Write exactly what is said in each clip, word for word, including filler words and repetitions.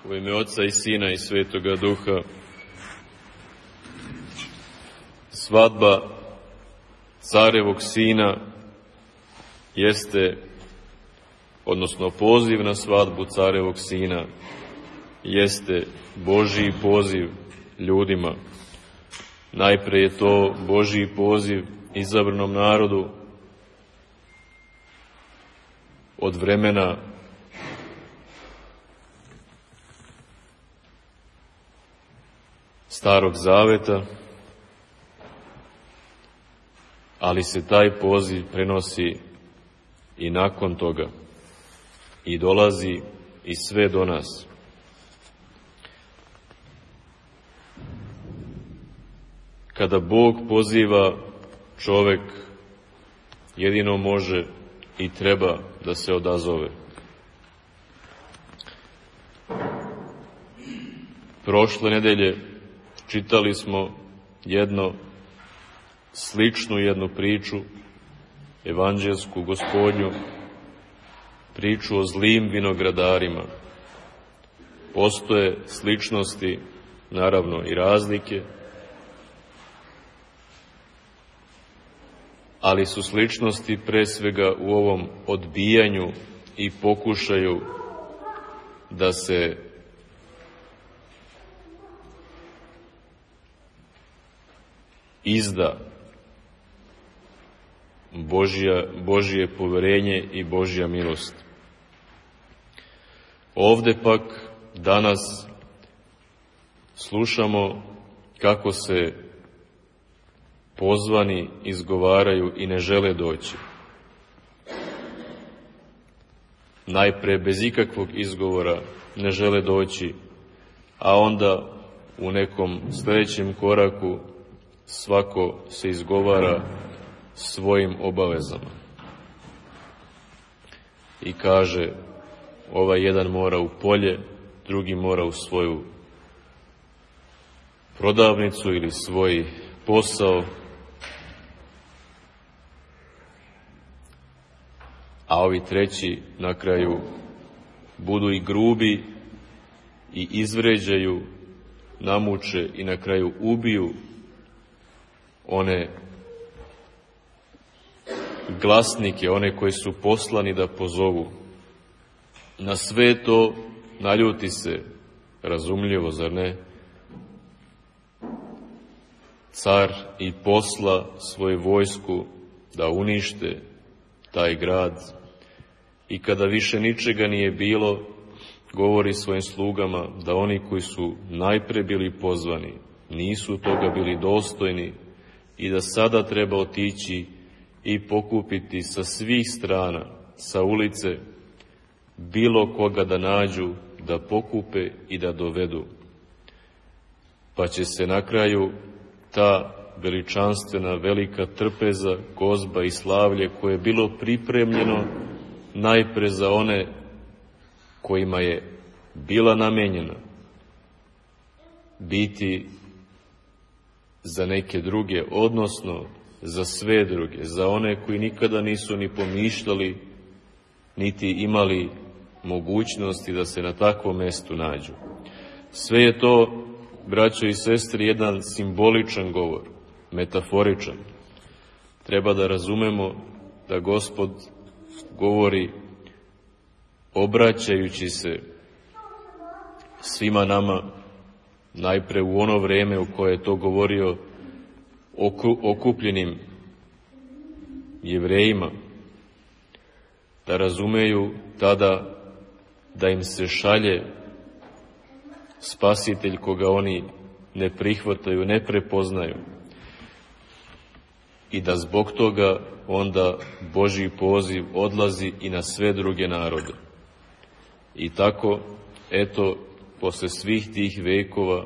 U ime Oca i Sina i Svetoga Duha. Svadba carevog sina jeste, odnosno poziv na svadbu carevog sina, jeste Božji poziv ljudima. Najpre je to Božji poziv izabranom narodu od vremena Starog Zaveta, ali se taj poziv prenosi i nakon toga i dolazi i sve do nas. Kada Bog poziva, čovek jedino može i treba da se odazove. Prošle nedelje čitali smo jedno sličnu jednu priču, evanđelsku Gospodnju, priču o zlim vinogradarima. Postoje sličnosti, naravno i razlike, ali su sličnosti pre svega u ovom odbijanju i pokušaju da se izda Božja, Božje poverenje i Božja milost. Ovde pak danas slušamo kako se pozvani izgovaraju i ne žele doći. Najpre bez ikakvog izgovora ne žele doći, a onda u nekom sljedećem koraku svako se izgovara svojim obavezama i kaže, ovaj jedan mora u polje, drugi mora u svoju prodavnicu ili svoj posao, a ovi treći na kraju budu i grubi i izvređaju, namuče i na kraju ubiju one glasnike, one koji su poslani da pozovu. Na sve to naljuti se, razumljivo, zar ne, car i posla svoju vojsku da unište taj grad i kada više ničega nije bilo, govori svojim slugama da oni koji su najpre bili pozvani nisu toga bili dostojni i da sada treba otići i pokupiti sa svih strana, sa ulice, bilo koga da nađu, da pokupe i da dovedu. Pa će se na kraju ta veličanstvena velika trpeza, gozba i slavlje koje je bilo pripremljeno najpre za one kojima je bila namenjena, biti za neke druge, odnosno za sve druge, za one koji nikada nisu ni pomišljali, niti imali mogućnosti da se na takvom mestu nađu. Sve je to, braćo i sestri, jedan simboličan govor, metaforičan. Treba da razumemo da Gospod govori obraćajući se svima nama, najpre u ono vreme u koje je to govorio okupljenim Jevrejima, da razumeju tada da im se šalje Spasitelj koga oni ne prihvataju, ne prepoznaju i da zbog toga onda Božji poziv odlazi i na sve druge narode. I tako, eto, posle svih tih vekova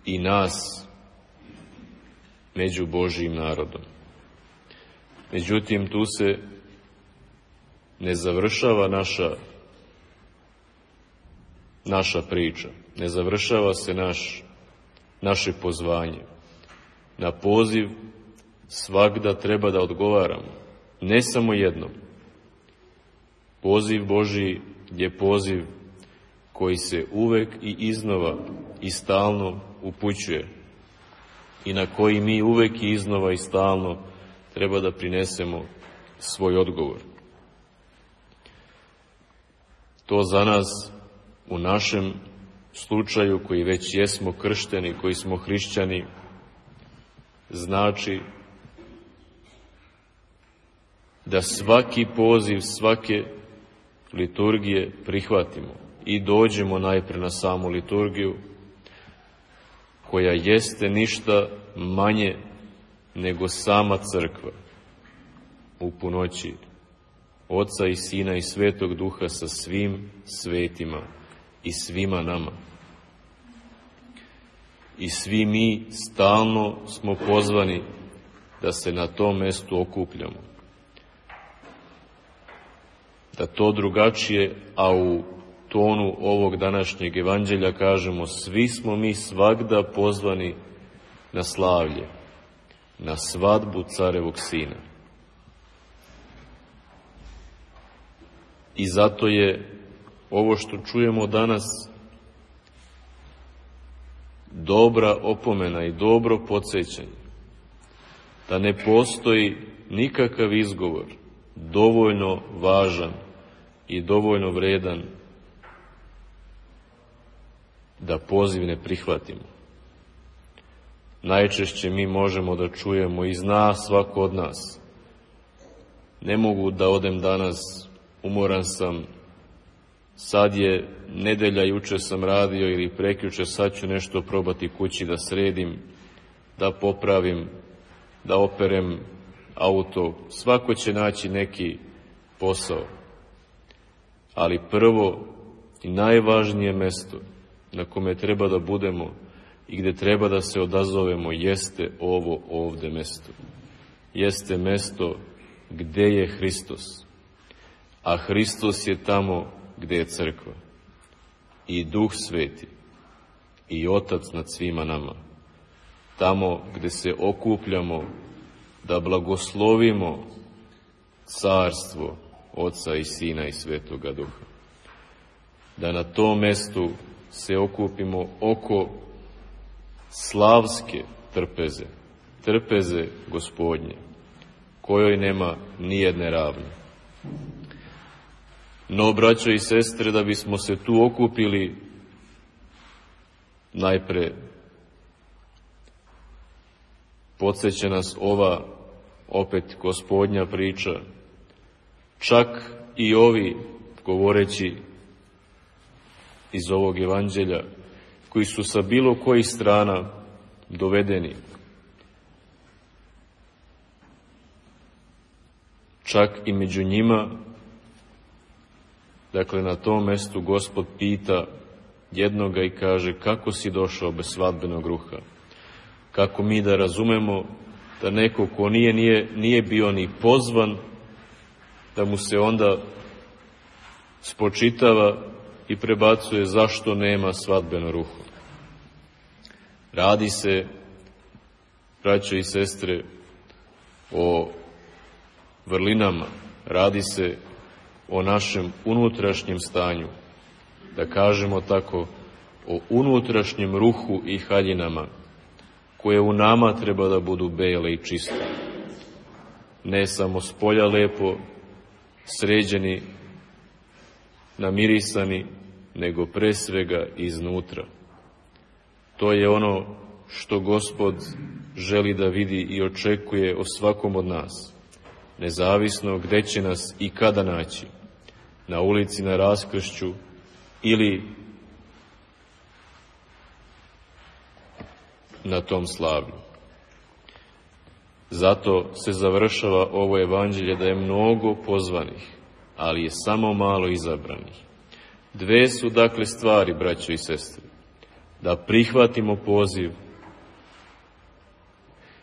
i nas među Božjim narodom. Međutim, tu se ne završava naša, naša priča, ne završava se naš, naše pozvanje. Na poziv svagda treba da odgovaramo, ne samo jednom. Poziv Božji je poziv koji se uvek i iznova i stalno upućuje i na koji mi uvek i iznova i stalno treba da prinesemo svoj odgovor. To za nas u našem slučaju, koji već jesmo kršteni, koji smo hrišćani, znači da svaki poziv, svake liturgije prihvatimo i dođemo najpre na samu liturgiju, koja jeste ništa manje nego sama crkva u punoći Oca i Sina i Svetog Duha sa svim svetima i svima nama. I svi mi stalno smo pozvani da se na tom mestu okupljamo. Da to drugačije, a u tonu ovog današnjeg evanđelja kažemo, svi smo mi svagda pozvani na slavlje, na svadbu Carevog Sina. I zato je ovo što čujemo danas dobra opomena i dobro podsjećanje da ne postoji nikakav izgovor dovoljno važan i dovoljno vredan da poziv ne prihvatimo. Najčešće mi možemo da čujemo i zna svako od nas: ne mogu da odem danas, umoran sam, sad je nedelja, juče sam radio ili prekjuče, sad ću nešto probati kući da sredim, da popravim, da operem auto. Svako će naći neki posao. Ali prvo i najvažnije mesto na kome treba da budemo i gde treba da se odazovemo jeste ovo ovde mesto. Jeste mesto gde je Hristos. A Hristos je tamo gde je crkva. I Duh Sveti. I Otac nad svima nama. Tamo gde se okupljamo da blagoslovimo carstvo Oca i Sina i Svetoga Duha. Da na tom mestu se okupimo oko slavske trpeze, trpeze Gospodnje, kojoj nema nijedne ravne. No, braćo i sestre, da bismo se tu okupili, najpre podsjeća nas ova opet Gospodnja priča. Čak i ovi, govoreći iz ovog evanđelja, koji su sa bilo kojih strana dovedeni, čak i među njima, dakle na tom mestu Gospod pita jednoga i kaže: kako si došao bez svadbenog ruha? Kako mi da razumemo da neko ko nije, nije, nije bio ni pozvan, da mu se onda spočitava i prebacuje zašto nema svadbeno ruho? Radi se, braćo i sestre, o vrlinama, radi se o našem unutrašnjem stanju, da kažemo tako, o unutrašnjem ruhu i haljinama, koje u nama treba da budu bele i čiste. Ne samo spolja lepo, sređeni, namirisani, nego pre svega iznutra. To je ono što Gospod želi da vidi i očekuje o svakom od nas, nezavisno gde će nas i kada naći, na ulici, na raskršću ili na tom slavlju. Zato se završava ovo evanđelje da je mnogo pozvanih, ali je samo malo izabranih. Dve su dakle stvari, braćo i sestre: da prihvatimo poziv,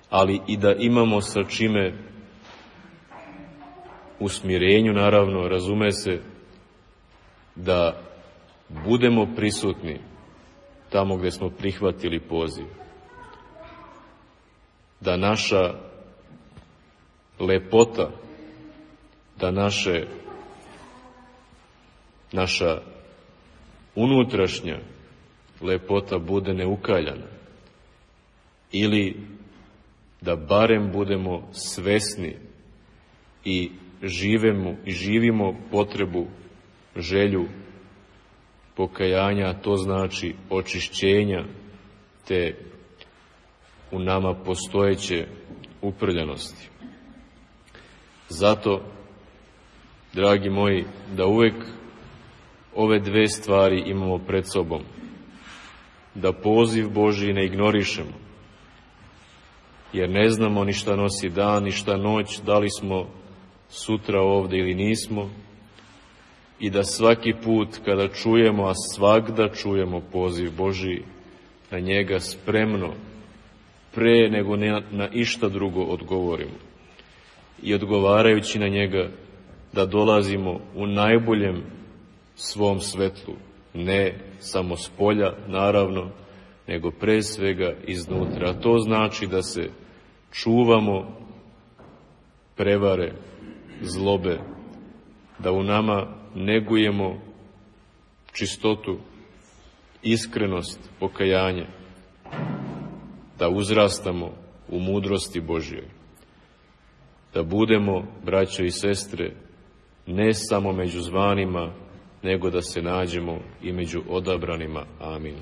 ali i da imamo sa čime, u smirenju naravno, razume se, da budemo prisutni tamo gde smo prihvatili poziv. Da naša lepota, da naše, naša unutrašnja lepota bude neukaljana, ili da barem budemo svesni i živemo i živimo potrebu, želju pokajanja, a to znači očišćenja te u nama postojeće uprljanosti. Zato, dragi moji, da uvek ove dve stvari imamo pred sobom, da poziv Božji ne ignorišemo, jer ne znamo ni šta nosi dan, ni šta noć, da li smo sutra ovde ili nismo, i da svaki put kada čujemo, a svagda čujemo poziv Božji, na njega spremno, pre nego na, na išta drugo odgovorimo. I odgovarajući na njega, da dolazimo u najboljem svom svetlu, ne samo s polja, naravno, nego pre svega iznutra. A to znači da se čuvamo prevare, zlobe, da u nama negujemo čistotu, iskrenost, pokajanje, da uzrastamo u mudrosti Božjoj, da budemo, braćo i sestre, ne samo među zvanima, nego da se nađemo i među odabranima. Amin.